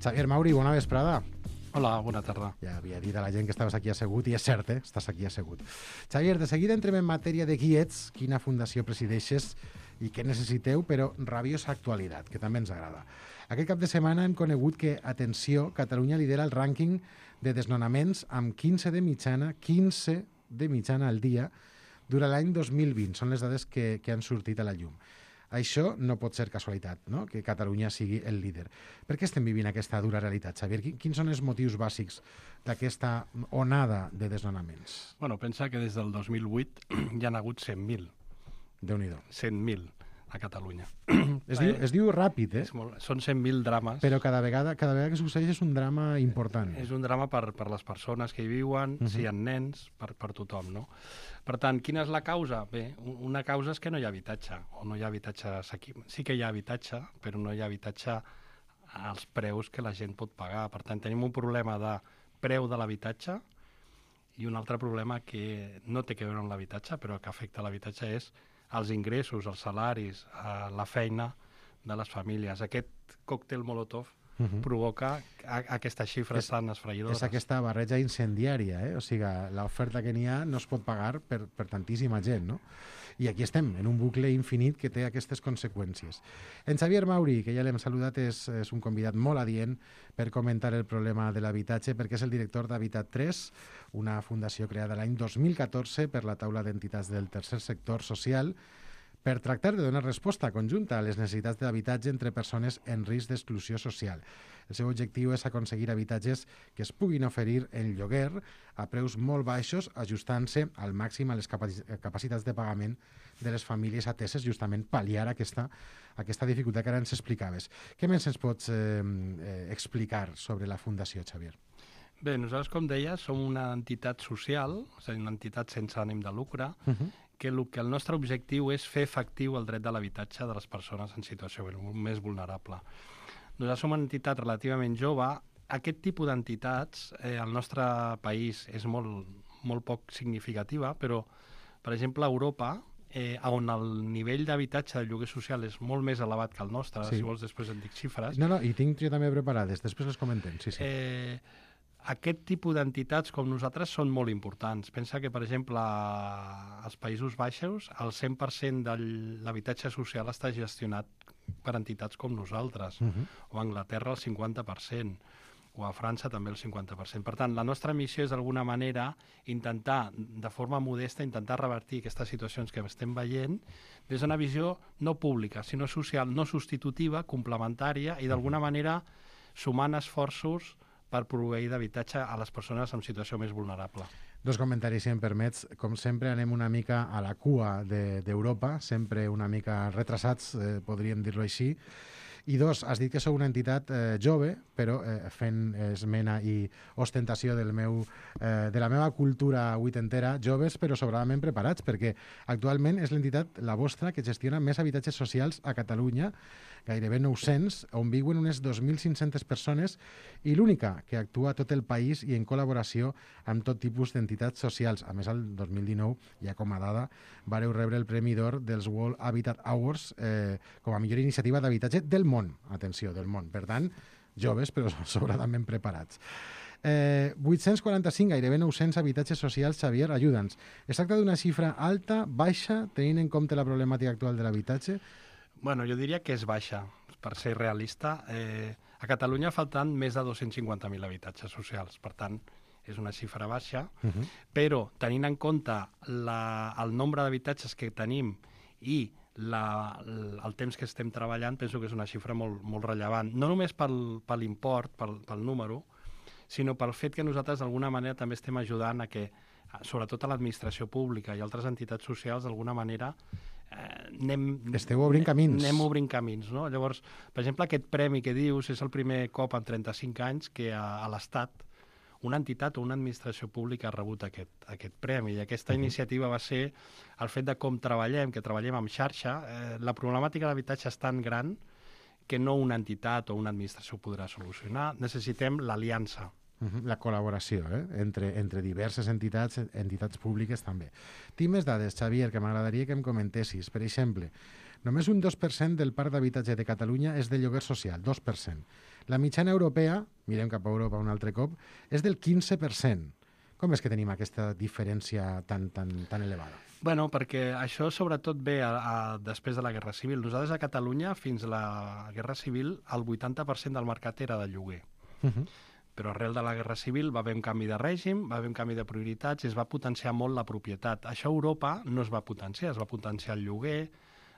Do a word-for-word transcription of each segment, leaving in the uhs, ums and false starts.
Xavier Mauri, bona vesprada. Hola, bona tarda. Ja havia dit a la gent que estaves aquí assegut, i és cert, eh? Estàs aquí assegut. Xavier, de seguida entrem en matèria de qui ets, quina fundació presideixes i què necessiteu, però rabiosa actualitat, que també ens agrada. Aquest cap de setmana hem conegut que, atenció, Catalunya lidera el rànquing de desnonaments amb quinze de mitjana, quinze de mitjana al dia, durant l'any dos mil vint. Són les dades que, que han sortit a la llum. Això no pot ser casualitat, no?, que Catalunya sigui el líder. Per què estem vivint aquesta dura realitat, Xavier? Quins són els motius bàsics d'aquesta onada de desnonaments? Bueno, pensa que des del dos mil vuit hi han hagut cent mil. Déu-n'hi-do. cent mil a Catalunya. Es diu, es diu ràpid, eh? És molt, són cent mil drames. Però cada vegada, cada vegada que succeeix és un drama important. És un drama per, per les persones que hi viuen, Uh-huh. si hi ha nens, per, per tothom, no? Per tant, quina és la causa? Bé, una causa és que no hi ha habitatge, o no hi ha habitatge assequible. Sí que hi ha habitatge, però no hi ha habitatge als preus que la gent pot pagar. Per tant, tenim un problema de preu de l'habitatge i un altre problema que no té que veure amb l'habitatge, però que afecta l'habitatge és els ingressos, els salaris, eh, la feina de les famílies. Aquest còctel Molotov Uh-huh. provoca a, aquestes xifres És- tan esfereïdores. És aquesta barreja incendiària, eh? O sigui, l'oferta que n'hi ha no es pot pagar per, per tantíssima gent, no? I aquí estem, en un bucle infinit que té aquestes conseqüències. En Xavier Mauri, que ja l'hem saludat, és, és un convidat molt adient per comentar el problema de l'habitatge, perquè és el director d'Habitat tres, una fundació creada l'any dos mil catorze per la taula d'entitats del tercer sector social, per tractar de donar resposta conjunta a les necessitats d'habitatge entre persones en risc d'exclusió social. El seu objectiu és aconseguir habitatges que es puguin oferir en lloguer a preus molt baixos, ajustant-se al màxim a les capaci- capacitats de pagament de les famílies ateses, justament pal·liar aquesta, aquesta dificultat que ara ens explicaves. Què més ens pots eh, eh, explicar sobre la Fundació, Xavier? Bé, nosaltres, com deia, som una entitat social, és a dir, una entitat sense ànim de lucre, Uh -huh. que el, que el nostre objectiu és fer efectiu el dret de l'habitatge de les persones en situació més vulnerable. Nosaltres som una entitat relativament jove. Aquest tipus d'entitats eh, al nostre país és molt, molt poc significativa, però, per exemple, a Europa, eh, on el nivell d'habitatge de lloguer social és molt més elevat que el nostre, Sí. si vols després en dic xifres, No, no, i tinc jo també preparades, després les comentem, sí, sí. Eh, aquest tipus d'entitats com nosaltres són molt importants. Pensa que, per exemple, als Països Baixos el cent per cent de l'habitatge social està gestionat per entitats com nosaltres, Uh -huh. o a Anglaterra el cinquanta per cent, o a França també el cinquanta per cent. Per tant, la nostra missió és d'alguna manera intentar, de forma modesta, intentar revertir aquestes situacions que estem veient des d'una visió no pública, sinó social, no substitutiva, complementària i d'alguna manera sumant esforços per proveir d'habitatge a les persones en situació més vulnerable. Dos comentaris, si em permets. Com sempre, anem una mica a la cua de- d'Europa, sempre una mica retrasats, eh, podríem dir-ho així. I dos, has dit que sou una entitat eh, jove, però eh, fent esmena i ostentació del meu, eh, de la meva cultura vuitentera, joves però sobradament preparats, perquè actualment és l'entitat, la vostra, que gestiona més habitatges socials a Catalunya, gairebé nou-cents, on viuen unes dos mil cinc-centes persones, i l'única que actua a tot el país i en col·laboració amb tot tipus d'entitats socials. A més, el dos mil dinou, ja com a dada, vareu rebre el Premi d'Or dels World Habitat Awards eh, com a millor iniciativa d'habitatge del món. Atenció, del món. Per tant, joves, però sobradament preparats. Eh, vuit-cents quaranta-cinc, gairebé nou-cents habitatges socials, Xavier, ajuda'ns. Es tracta d'una xifra alta, baixa, tenint en compte la problemàtica actual de l'habitatge? Bueno, jo diria que és baixa, per ser realista. Eh, a Catalunya falten més de dos-cents cinquanta mil habitatges socials, per tant, és una xifra baixa, Uh -huh. però tenint en compte la, el nombre d'habitatges que tenim i la, el, el temps que estem treballant, penso que és una xifra molt, molt rellevant. No només pel, per l'import, pel, pel número, sinó pel fet que nosaltres d'alguna manera també estem ajudant a que, sobretot a l'administració pública i altres entitats socials, d'alguna manera eh, anem... Esteu obrint camins. Anem obrint camins, no? Llavors, per exemple, aquest premi que dius és el primer cop en trenta-cinc anys que a, a l'Estat una entitat o una administració pública ha rebut aquest, aquest premi. I aquesta Uh-huh. iniciativa va ser el fet de com treballem, que treballem amb xarxa. Eh, la problemàtica de l'habitatge és tan gran que no una entitat o una administració podrà solucionar. Necessitem l'aliança. Uh-huh. La col·laboració eh? entre, entre diverses entitats, entitats públiques també. Tinc més dades, Xavier, que m'agradaria que em comentessis. Per exemple, Només un dos per cent del parc d'habitatge de Catalunya és de lloguer social, dos per cent. La mitjana europea, mirem cap a Europa un altre cop, és del quinze per cent. Com és que tenim aquesta diferència tan, tan, tan elevada? Bueno, perquè això sobretot ve a, a, després de la Guerra Civil. Nosaltres a Catalunya, fins a la Guerra Civil, el vuitanta per cent del mercat era de lloguer. Uh -huh. Però arrel de la Guerra Civil va haver un canvi de règim, va haver un canvi de prioritats i es va potenciar molt la propietat. Això a Europa no es va potenciar, es va potenciar el lloguer,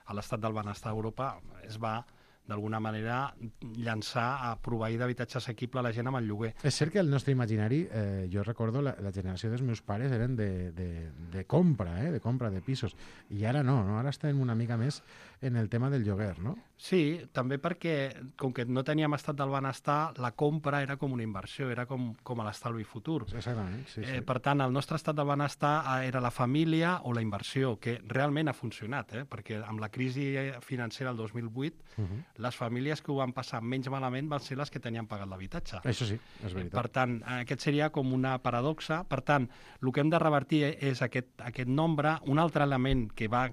a l'estat del benestar a Europa es va d'alguna manera llançar a proveir d'habitatge assequible a la gent amb el lloguer. És cert que el nostre imaginari, eh, jo recordo la, la generació dels meus pares eren de, de, de compra, eh, de compra de pisos, i ara no, no, ara estem una mica més en el tema del lloguer, no? Sí, també perquè, com que no teníem estat del benestar, la compra era com una inversió, era com, com a l'estalvi futur. Exactament, sí, sí. Eh, per tant, el nostre estat del benestar era la família o la inversió, que realment ha funcionat, eh? Perquè amb la crisi financera del dos mil vuit, uh -huh. les famílies que ho van passar menys malament van ser les que tenien pagat l'habitatge. Això sí, és veritat. Per tant, aquest seria com una paradoxa. Per tant, el que hem de revertir és aquest, aquest nombre. Un altre element que va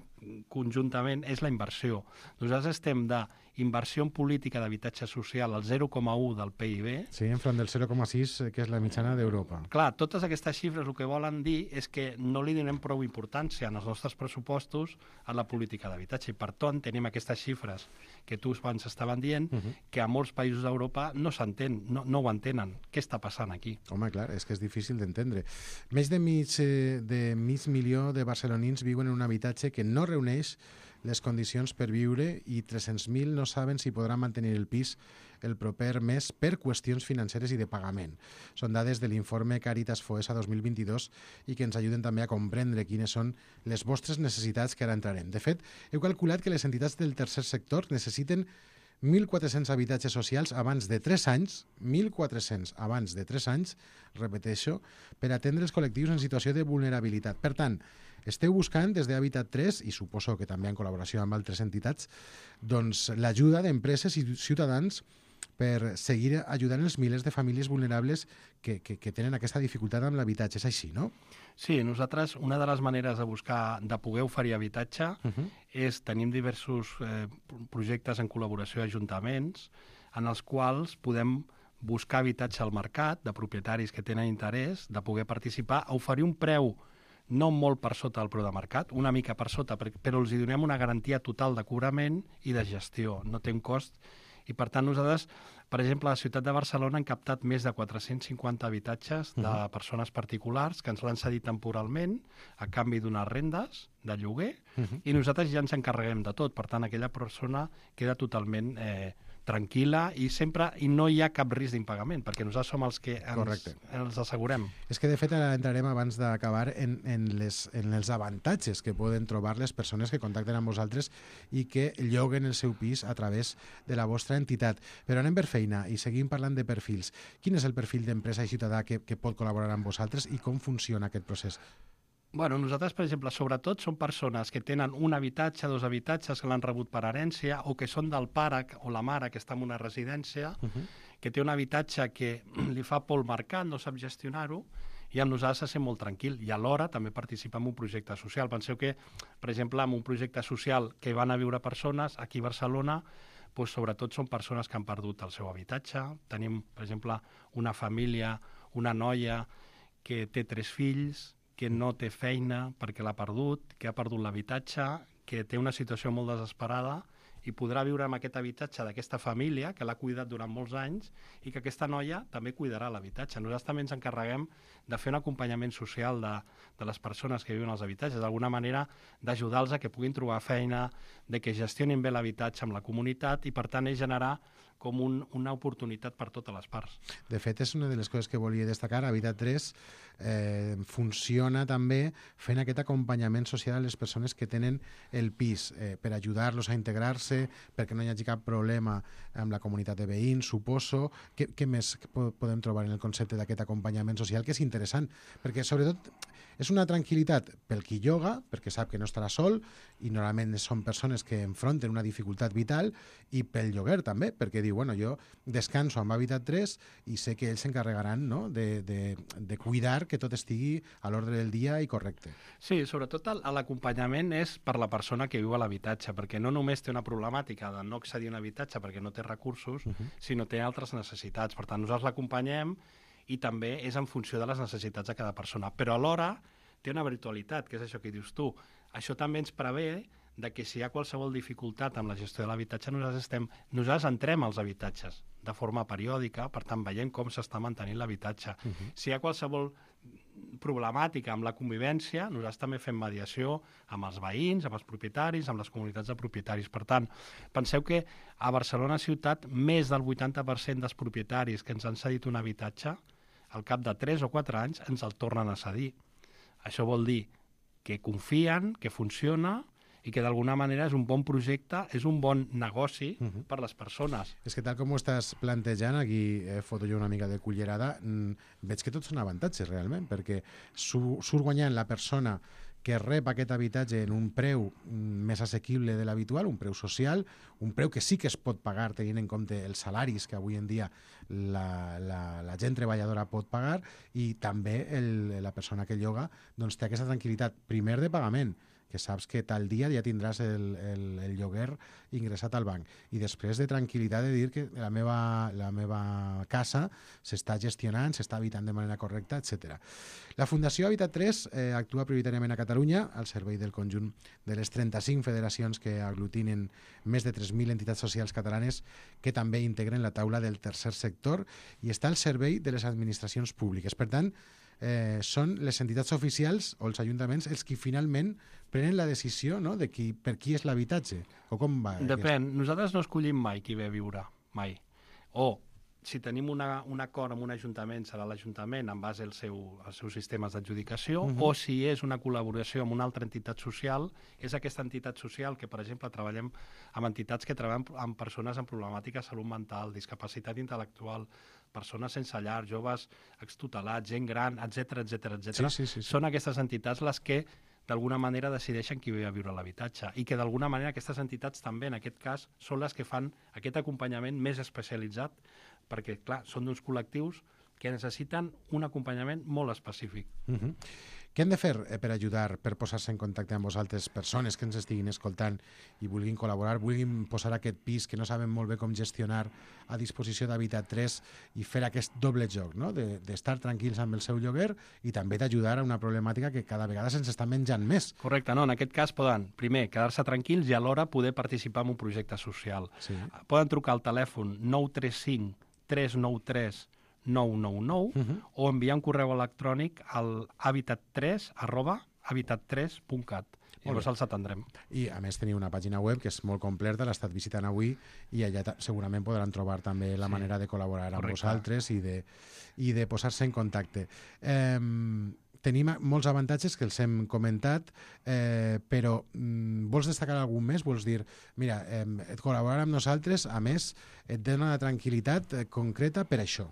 conjuntament és la inversió. Nosaltres estem d'inversió en política d'habitatge social al zero coma u del P I B. Sí, enfront del zero coma sis, que és la mitjana d'Europa. Clar, totes aquestes xifres el que volen dir és que no li donem prou importància en els nostres pressupostos a la política d'habitatge. I per tant, tenim aquestes xifres que tu abans estaven dient, uh -huh. que a molts països d'Europa no s'entén, no, no ho entenen. Què està passant aquí? Home, clar, és que és difícil d'entendre. Més de mig, eh, de mig milió de barcelonins viuen en un habitatge que no reuneix les condicions per viure i tres-cents mil no saben si podran mantenir el pis el proper mes per qüestions financeres i de pagament. Són dades de l'informe Càritas Foessa dos mil vint-i-dos i que ens ajuden també a comprendre quines són les vostres necessitats, que ara entrarem. De fet, heu calculat que les entitats del tercer sector necessiten mil quatre-cents habitatges socials abans de tres anys, mil quatre-cents abans de tres anys, repeteixo, per atendre els col·lectius en situació de vulnerabilitat. Per tant, esteu buscant des d'Habitat tres, i suposo que també en col·laboració amb altres entitats, doncs l'ajuda d'empreses i ciutadans per seguir ajudant els milers de famílies vulnerables que, que, que tenen aquesta dificultat amb l'habitatge. És així, no? Sí, nosaltres, una de les maneres de buscar, de poder oferir habitatge, uh -huh. és, tenim diversos eh, projectes en col·laboració d'ajuntaments, en els quals podem buscar habitatge al mercat de propietaris que tenen interès de poder participar, a oferir un preu no molt per sota del preu de mercat, una mica per sota, però els hi donem una garantia total de cobrament i de gestió, no té un cost. I per tant nosaltres, per exemple, a la ciutat de Barcelona hem captat més de quatre-cents cinquanta habitatges de uh-huh. persones particulars que ens l'han cedit temporalment a canvi d'unes rendes de lloguer uh-huh. i nosaltres ja ens encarreguem de tot. Per tant, aquella persona queda totalment eh, tranquil·la i sempre i no hi ha cap risc d'impagament, perquè nosaltres som els que ens, ens assegurem. És que, de fet, ara entrarem abans d'acabar en, en, les, en els avantatges que poden trobar les persones que contacten amb vosaltres i que lloguen el seu pis a través de la vostra entitat. Però anem per feina i seguim parlant de perfils. Quin és el perfil d'empresa i ciutadà que, que pot col·laborar amb vosaltres i com funciona aquest procés? Bueno, nosaltres, per exemple, sobretot són persones que tenen un habitatge, dos habitatges que l'han rebut per herència o que són del pare o la mare que està en una residència, uh-huh. que té un habitatge que li fa por al mercat, no sap gestionar-ho, i amb nosaltres se sent molt tranquil. I alhora també participa en un projecte social. Penseu que, per exemple, en un projecte social que van a viure persones aquí a Barcelona, doncs, sobretot són persones que han perdut el seu habitatge. Tenim, per exemple, una família, una noia que té tres fills, que no té feina perquè l'ha perdut, que ha perdut l'habitatge, que té una situació molt desesperada i podrà viure amb aquest habitatge d'aquesta família que l'ha cuidat durant molts anys i que aquesta noia també cuidarà l'habitatge. Nosaltres també ens encarreguem de fer un acompanyament social de, de les persones que viuen als habitatges, d'alguna manera d'ajudar-los a que puguin trobar feina, de que gestionin bé l'habitatge amb la comunitat i, per tant, és generar com un, una oportunitat per totes les parts. De fet, és una de les coses que volia destacar. Habitat tres eh, funciona també fent aquest acompanyament social a les persones que tenen el pis, eh, per ajudar-los a integrar-se, perquè no hi hagi cap problema amb la comunitat de veïns, suposo. Què, què més podem trobar en el concepte d'aquest acompanyament social, que és interessant? Perquè, sobretot, és una tranquil·litat pel qui lloga, perquè sap que no estarà sol, i normalment són persones que enfronten una dificultat vital, i pel lloguer també, perquè diu, bueno, jo descanso amb Habitat tres i sé que ells s'encarregaran, no?, de, de, de cuidar que tot estigui a l'ordre del dia i correcte. Sí, sobretot l'acompanyament és per la persona que viu a l'habitatge, perquè no només té una problemàtica de no accedir a un habitatge perquè no té recursos, uh -huh. sinó té altres necessitats. Per tant, nosaltres l'acompanyem i també és en funció de les necessitats de cada persona. Però alhora té una virtualitat, que és això que dius tu. Això també ens prevé de que si hi ha qualsevol dificultat amb la gestió de l'habitatge, nosaltres, estem, nosaltres entrem als habitatges de forma periòdica, per tant, veiem com s'està mantenint l'habitatge. Uh -huh. Si hi ha qualsevol problemàtica amb la convivència, nosaltres també fem mediació amb els veïns, amb els propietaris, amb les comunitats de propietaris. Per tant, penseu que a Barcelona ciutat més del vuitanta per cent dels propietaris que ens han cedit un habitatge, al cap de tres o quatre anys ens el tornen a cedir. Això vol dir que confien, que funciona i que d'alguna manera és un bon projecte, és un bon negoci uh -huh. per les persones. És que tal com ho estàs plantejant, aquí eh, foto jo una mica de cullerada, mm, veig que tots són avantatges realment, perquè su surt guanyant la persona que rep aquest habitatge en un preu més assequible de l'habitual, un preu social, un preu que sí que es pot pagar tenint en compte els salaris que avui en dia la, la, la gent treballadora pot pagar, i també el, la persona que lloga doncs, té aquesta tranquil·litat, primer de pagament, que saps que tal dia ja tindràs el, el, el lloguer ingressat al banc, i després de tranquil·litat de dir que la meva, la meva casa s'està gestionant, s'està habitant de manera correcta, etcètera. La Fundació Habitat tres eh, actua prioritàriament a Catalunya al servei del conjunt de les trenta-cinc federacions que aglutinen més de tres mil entitats socials catalanes que també integren la taula del tercer sector, i està al servei de les administracions públiques. Per tant, eh, són les entitats oficials o els ajuntaments els qui finalment prenen la decisió, no?, de qui, per qui és l'habitatge, o com va? Depèn. Aquest? Nosaltres no escollim mai qui ve a viure, mai. O, si tenim una, un acord amb un ajuntament, serà l'Ajuntament en base al seu, als seus sistemes d'adjudicació, uh -huh. o si és una col·laboració amb una altra entitat social, és aquesta entitat social que, per exemple, treballem amb entitats que treballen amb persones amb problemàtica de salut mental, discapacitat intel·lectual, persones sense llar, joves extutelats, gent gran, etcètera, etcètera, etcètera. Sí, sí, sí, sí. Són aquestes entitats les que d'alguna manera decideixen qui ve a viure a l'habitatge, i que d'alguna manera aquestes entitats també, en aquest cas, són les que fan aquest acompanyament més especialitzat, perquè, clar, són d'uns col·lectius que necessiten un acompanyament molt específic. Uh-huh. Què hem de fer eh, per ajudar, per posar-se en contacte amb vosaltres, persones que ens estiguin escoltant i vulguin col·laborar, vulguin posar aquest pis que no saben molt bé com gestionar a disposició d'Habitat tres i fer aquest doble joc, no?, d'estar de, tranquils amb el seu lloguer i també d'ajudar a una problemàtica que cada vegada se'ns està menjant més? Correcte, no, en aquest cas poden, primer, quedar-se tranquils i alhora poder participar en un projecte social. Sí. Poden trucar al telèfon nou tres cinc tres nou tres nou nou nou uh -huh. o enviar un correu electrònic al habitat tres arroba habitat tres punt cat. Llavors els atendrem. I a més teniu una pàgina web que és molt completa, l'he estat visitant avui, i allà segurament podran trobar també la sí. manera de col·laborar amb Correcte. vosaltres i de, i de posar-se en contacte. Eh, tenim molts avantatges que els hem comentat, eh, però mm, vols destacar algun més? Vols dir, mira, eh, col·laborar amb nosaltres, a més, et dona una tranquil·litat eh, concreta per això?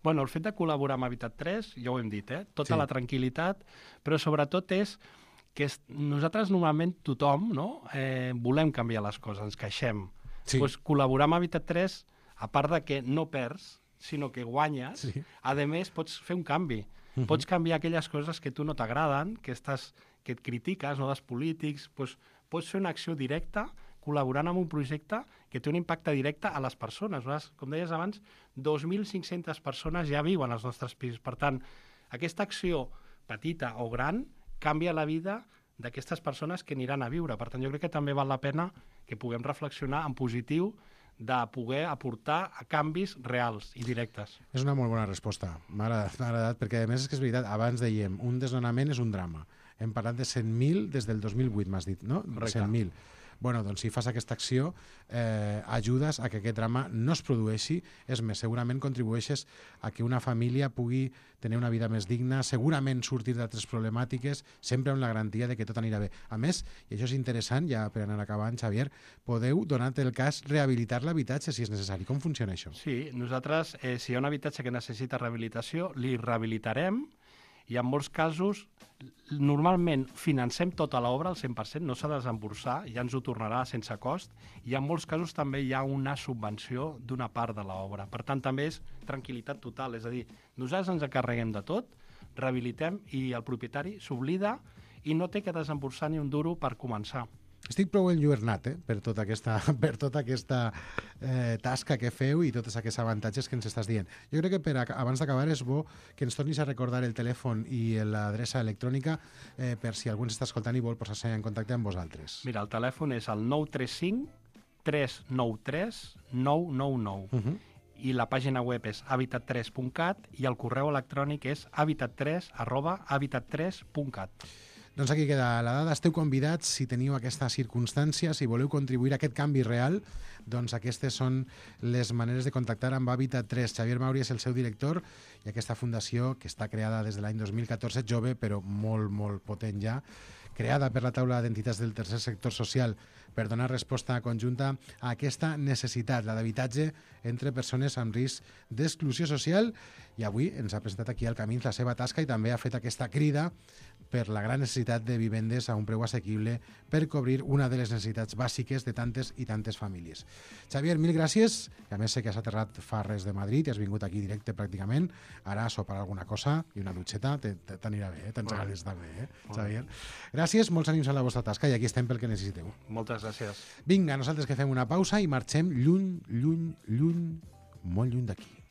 Bueno, el fet de col·laborar amb Habitat tres, ja ho hem dit, eh? tota sí. la tranquil·litat, però sobretot és que és, nosaltres normalment tothom no? eh, volem canviar les coses, ens queixem. Sí. Pues, col·laborar amb Habitat tres, a part de que no perds, sinó que guanyes, sí. a més pots fer un canvi. Uh -huh. Pots canviar aquelles coses que tu no t'agraden, que, estàs, que et critiques, no, dels polítics, pues, pots fer una acció directa col·laborant amb un projecte que té un impacte directe a les persones. Com deies abans, dos mil cinc-centes persones ja viuen als nostres pisos. Per tant, aquesta acció petita o gran canvia la vida d'aquestes persones que aniran a viure. Per tant, jo crec que també val la pena que puguem reflexionar en positiu de poder aportar a canvis reals i directes. És una molt bona resposta. M'ha agradat, m'ha agradat, perquè a més és que és veritat, abans dèiem, un desnonament és un drama. Hem parlat de cent mil des del dos mil vuit, m'has dit, no? Correcte. cent mil. Bueno, doncs si fas aquesta acció, eh, ajudes a que aquest drama no es produeixi. És més, segurament contribueixes a que una família pugui tenir una vida més digna, segurament sortir d'altres problemàtiques, sempre amb la garantia de que tot anirà bé. A més, i això és interessant, ja per anar acabant, Xavier, podeu, donat el cas, rehabilitar l'habitatge si és necessari. Com funciona això? Sí, nosaltres, eh, si hi ha un habitatge que necessita rehabilitació, li rehabilitarem I en molts casos, normalment financem tota l'obra al cent per cent, no s'ha de desemborsar, ja ens ho tornarà sense cost, i en molts casos també hi ha una subvenció d'una part de l'obra. Per tant, també és tranquil·litat total, és a dir, nosaltres ens encarreguem de tot, rehabilitem i el propietari s'oblida i no té que desemborsar ni un duro per començar. Estic prou enlluernat eh, per tota aquesta, per tota aquesta eh, tasca que feu i tots aquests avantatges que ens estàs dient. Jo crec que per, abans d'acabar és bo que ens tornis a recordar el telèfon i l'adreça electrònica eh, per si algú ens està escoltant i vol posar-se en contacte amb vosaltres. Mira, el telèfon és el nou tres cinc tres nou tres nou nou nou uh -huh. i la pàgina web és habitat tres punt cat i el correu electrònic és habitat tres arroba habitat tres punt cat. Doncs aquí queda la dada. Esteu convidats, si teniu aquesta circumstància, si voleu contribuir a aquest canvi real, doncs aquestes són les maneres de contactar amb Habitat tres. Xavier Mauri és el seu director i aquesta fundació, que està creada des de l'any dos mil catorze, jove, però molt, molt potent ja, creada per la taula d'entitats del tercer sector social per donar resposta conjunta a aquesta necessitat, la d'habitatge entre persones amb risc d'exclusió social, i avui ens ha presentat aquí al Camins la seva tasca i també ha fet aquesta crida per la gran necessitat de vivendes a un preu assequible per cobrir una de les necessitats bàsiques de tantes i tantes famílies. Xavier, mil gràcies, que a més sé que has aterrat fa res de Madrid i has vingut aquí directe pràcticament, ara a sopar alguna cosa i una dutxeta t'anirà bé, eh? Tens ganes d'estar bé, eh, Xavier? Gràcies, molts ànims a la vostra tasca i aquí estem pel que necessiteu. Moltes gràcies. Vinga, nosaltres que fem una pausa i marxem lluny, lluny, lluny, molt lluny d'aquí.